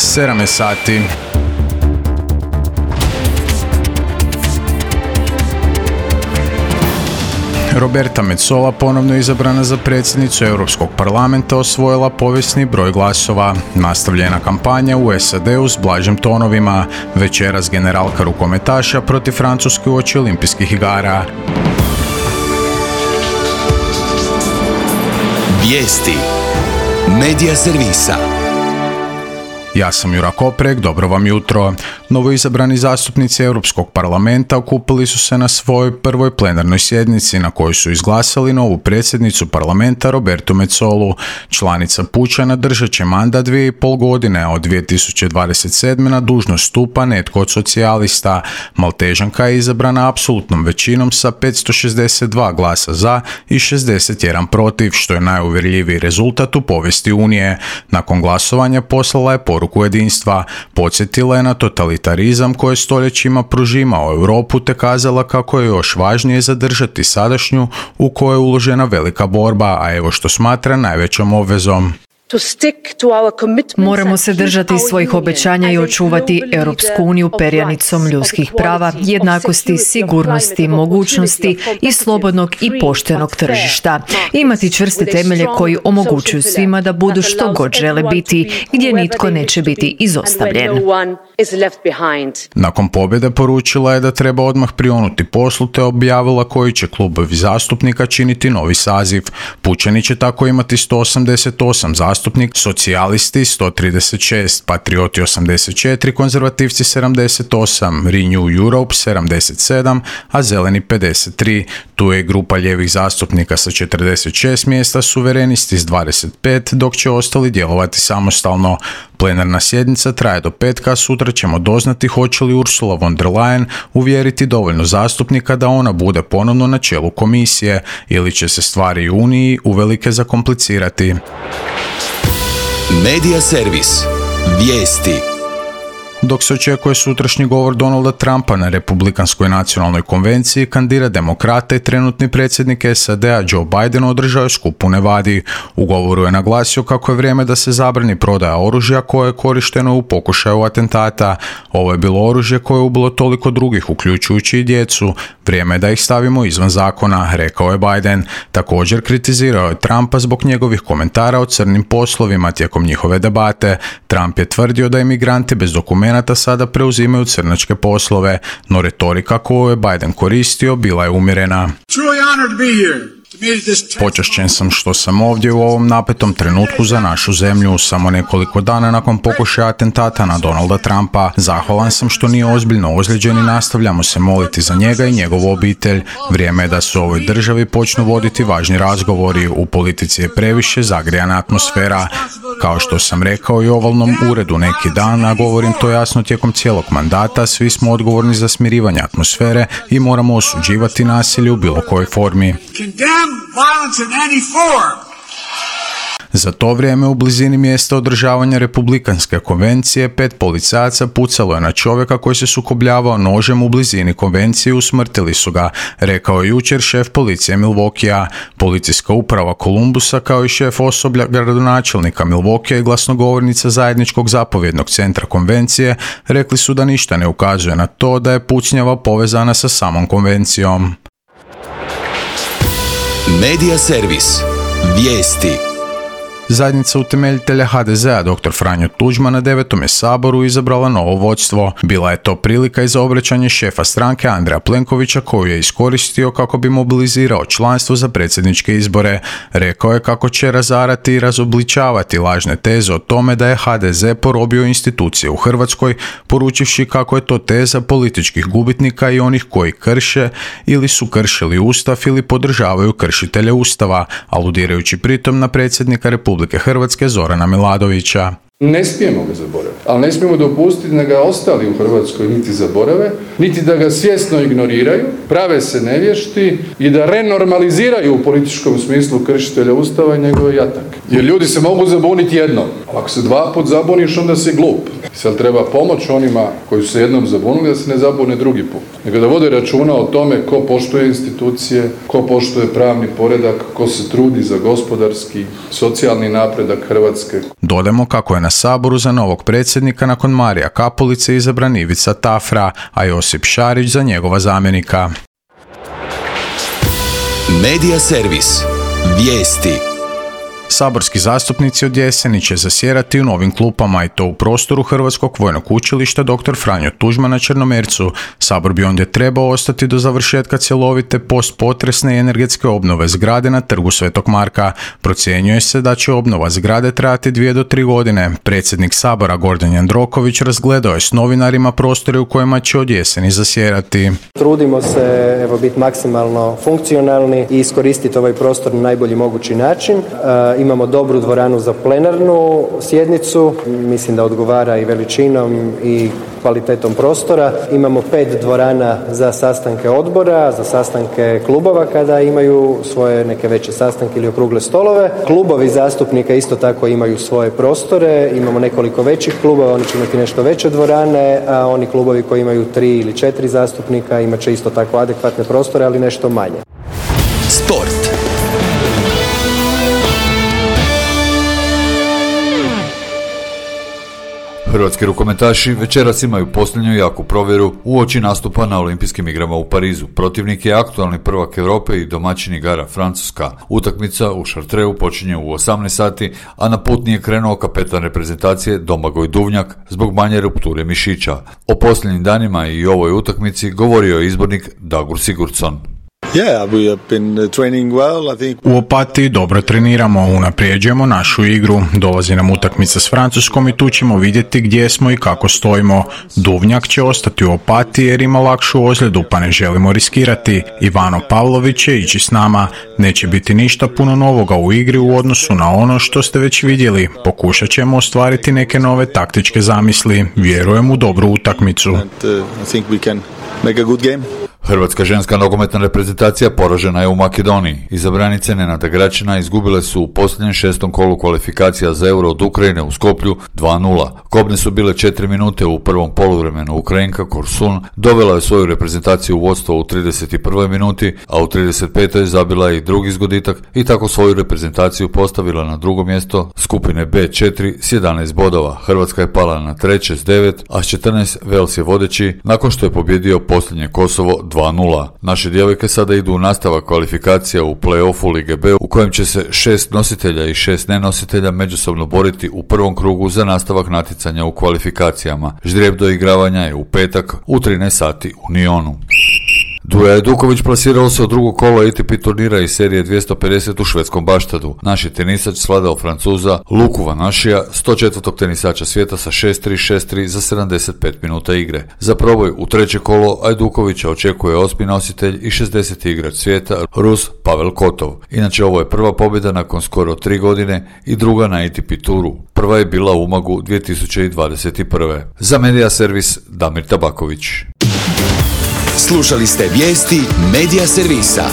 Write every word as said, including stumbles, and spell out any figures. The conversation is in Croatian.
sedam je sati. Roberta Metsola ponovno izabrana za predsjednicu Europskog parlamenta osvojila povijesni broj glasova. Nastavljena kampanja u S A D-u s blažim tonovima. Večeras generalka rukometaša protiv Francuske uoči olimpijskih igara. Vijesti Medija servisa. Ja sam Jura Koprek, dobro vam jutro. Novoizabrani zastupnici Europskog parlamenta okupili su se na svojoj prvoj plenarnoj sjednici na kojoj su izglasali novu predsjednicu parlamenta Robertu Metsolu. Članica Pučana držat će mandat dvije i pol godine, a od dvije tisuće dvadeset sedme na dužnost stupa netko od socijalista. Maltežanka je izabrana apsolutnom većinom sa petsto šezdeset dva glasa za i šezdeset jedan protiv, što je najuvjerljiviji rezultat u povijesti Unije. Nakon glasovanja poslala je poruku jedinstva. Podsjetila je na totalitarizam koji je stoljećima prožimao Europu te kazala kako je još važnije zadržati sadašnju u kojoj je uložena velika borba, a evo što smatra najvećom obvezom. Moramo se držati svojih obećanja i očuvati Europsku uniju perjanicom ljudskih prava, jednakosti, sigurnosti, mogućnosti i slobodnog i poštenog tržišta. Imati čvrste temelje koji omogućuju svima da budu što god žele biti, gdje nitko neće biti izostavljen. Nakon pobjede poručila je da treba odmah prionuti poslu te objavila koji će klubovi zastupnika činiti novi saziv. Pučani će tako imati sto osamdeset osam zastupnika, socijalisti sto trideset šest, patrioti osamdeset četiri, konzervativci sedamdeset osam, Renew Europe sedamdeset sedam, a zeleni pedeset tri. Tu je grupa lijevih zastupnika sa četrdeset šest mjesta, suverenisti s dvadeset pet, dok će ostali djelovati samostalno. Plenarna sjednica traje do petka, sutra ćemo doznati hoće li Ursula von der Leyen uvjeriti dovoljno zastupnika da ona bude ponovno na čelu komisije ili će se stvari u Uniji uvelike zakomplicirati. Medija servis. Vijesti. Dok se očekuje sutrašnji govor Donalda Trumpa na Republikanskoj nacionalnoj konvenciji, kandidat demokrata i trenutni predsjednik S A D-a Joe Biden održao je skup u Nevadi. U govoru je naglasio kako je vrijeme da se zabrani prodaja oružja koje je korišteno u pokušaju atentata. Ovo je bilo oružje koje je ubilo toliko drugih, uključujući i djecu. Vrijeme je da ih stavimo izvan zakona, rekao je Biden. Također kritizirao je Trumpa zbog njegovih komentara o crnim poslovima tijekom njihove debate. Trump je tvrdio da imigranti bez dokumenta sada preuzimaju crnačke poslove, no retorika koju je Biden koristio bila je umjerena. Počašćen sam što sam ovdje u ovom napetom trenutku za našu zemlju, samo nekoliko dana nakon pokušaja atentata na Donalda Trumpa. Zahvalan sam što nije ozbiljno ozlijeđen i nastavljamo se moliti za njega i njegovu obitelj. Vrijeme je da se u ovoj državi počnu voditi važni razgovori. U politici je previše zagrijana atmosfera. Kao što sam rekao i ovalnom uredu neki dan, a govorim to jasno tijekom cijelog mandata, svi smo odgovorni za smirivanje atmosfere i moramo osuđivati nasilje u bilo kojoj formi. Za to vrijeme u blizini mjesta održavanja Republikanske konvencije pet policajaca pucalo je na čovjeka koji se sukobljavao nožem u blizini konvencije i usmrtili su ga, rekao je jučer šef policije Milwaukeea. Policijska uprava Kolumbusa kao i šef osoblja gradonačelnika Milwaukeea i glasnogovornica zajedničkog zapovjednog centra konvencije rekli su da ništa ne ukazuje na to da je pucnjava povezana sa samom konvencijom. Medija servis. Vijesti. Zajednica utemeljitelja H D Z-a dr. Franjo Tuđman na devetom je saboru izabrala novo vodstvo. Bila je to prilika i za obraćanje šefa stranke Andreja Plenkovića koju je iskoristio kako bi mobilizirao članstvo za predsjedničke izbore. Rekao je kako će razarati i razobličavati lažne teze o tome da je H D Z porobio institucije u Hrvatskoj, poručivši kako je to teza političkih gubitnika i onih koji krše ili su kršili Ustav ili podržavaju kršitelje Ustava, aludirajući pritom na predsjednika Republike Hrvatske Zorana Milanovića. Ne smijemo ga zaboraviti, ali ne smijemo dopustiti da ga ostali u Hrvatskoj niti zaborave, niti da ga svjesno ignoriraju, prave se nevješti i da renormaliziraju u političkom smislu kršitelja Ustava i njegove jatak. Jer ljudi se mogu zabuniti jednom. Ako se dva put zabuniš, onda si glup. Sad treba pomoć onima koji su se jednom zabunili da se ne zabune drugi put. Nego da vode računa o tome ko poštuje institucije, ko poštuje pravni poredak, ko se trudi za gospodarski, socijalni napredak Hrvatske. Dodamo kako je na saboru za novog predsjednika predsjednika nakon Marija Kapulice izabran Ivica Tafra, a Josip Šarić za njegova zamjenika. Medija servis. Vijesti. Saborski zastupnici od jeseni će zasjedati u novim klupama i to u prostoru Hrvatskog vojnog učilišta doktor Franjo Tuđman na Črnomercu. Sabor bi ondje trebao ostati do završetka cjelovite postpotresne i energetske obnove zgrade na Trgu Svetog Marka. Procjenjuje se da će obnova zgrade trajati dvije do tri godine. Predsjednik Sabora Gordan Jandroković razgledao je s novinarima prostore u kojima će od jeseni zasjedati. Trudimo se evo biti maksimalno funkcionalni i iskoristiti ovaj prostor na najbolji mogući način. E, Imamo dobru dvoranu za plenarnu sjednicu, mislim da odgovara i veličinom i kvalitetom prostora. Imamo pet dvorana za sastanke odbora, za sastanke klubova kada imaju svoje neke veće sastanke ili okrugle stolove. Klubovi zastupnika isto tako imaju svoje prostore, imamo nekoliko većih klubova, oni će imati nešto veće dvorane, a oni klubovi koji imaju tri ili četiri zastupnika imat će isto tako adekvatne prostore, ali nešto manje. Sport. Hrvatski rukometaši večeras imaju posljednju jaku provjeru uoči nastupa na Olimpijskim igrama u Parizu. Protivnik je aktualni prvak Europe i domaćin igara Francuska. Utakmica u Chartreu počinje u osamnaest sati, a na put nije krenuo kapetan reprezentacije Domagoj Duvnjak zbog manje rupture mišića. O posljednjim danima i ovoj utakmici govorio je izbornik Dagur Sigurdsson. Yeah, we have been training well, I think. U Opatiji dobro treniramo, unaprijeđujemo našu igru. Dolazi nam utakmica s Francuskom i tu ćemo vidjeti gdje smo i kako stojimo. Duvnjak će ostati u Opatiji jer ima lakšu ozljedu, pa ne želimo riskirati. Ivano Pavlović će ići s nama. Neće biti ništa puno novoga u igri u odnosu na ono što ste već vidjeli. Pokušat ćemo ostvariti neke nove taktičke zamisli. Vjerujem u dobru utakmicu. And, uh, I think we can make a good game. Hrvatska ženska nogometna reprezentacija poražena je u Makedoniji. Izabranice Nenada Gračina izgubile su u posljednjem šestom kolu kvalifikacija za Euro od Ukrajine u Skoplju dva nula. Kobne su bile četiri minute u prvom poluvremenu. Ukrajinka Korsun dovela je svoju reprezentaciju u vodstvo u trideset prvoj minuti, a u trideset petoj zabila je i drugi zgoditak i tako svoju reprezentaciju postavila na drugo mjesto skupine be četiri s jedanaest bodova. Hrvatska je pala na treće s devet, a s četrnaest Vels je vodeći nakon što je pobjedio posljednje Kosovo dva nula. Naše djevojke sada idu u nastavak kvalifikacija u play-offu Lige B u kojem će se šest nositelja i šest nenositelja međusobno boriti u prvom krugu za nastavak natjecanja u kvalifikacijama. Ždrijeb do igravanja je u petak u trinaest sati u Nionu. Duja Ajduković plasirao se u drugo kolo A T P turnira iz serije dvjesto pedeset u švedskom Baštadu. Naš je tenisač svladao Francuza Luku Vanašija, sto četvrtog tenisača svijeta sa šest tri šest tri za sedamdeset pet minuta igre. Za proboj u treće kolo Ajdukovića očekuje osmi nositelj i šezdeseti igrač svijeta Rus Pavel Kotov. Inače, ovo je prva pobjeda nakon skoro tri godine i druga na A T P turu. Prva je bila u Umagu dvije tisuće dvadeset prve. Za Medija servis Damir Tabaković. Slušali ste vijesti Medija servisa.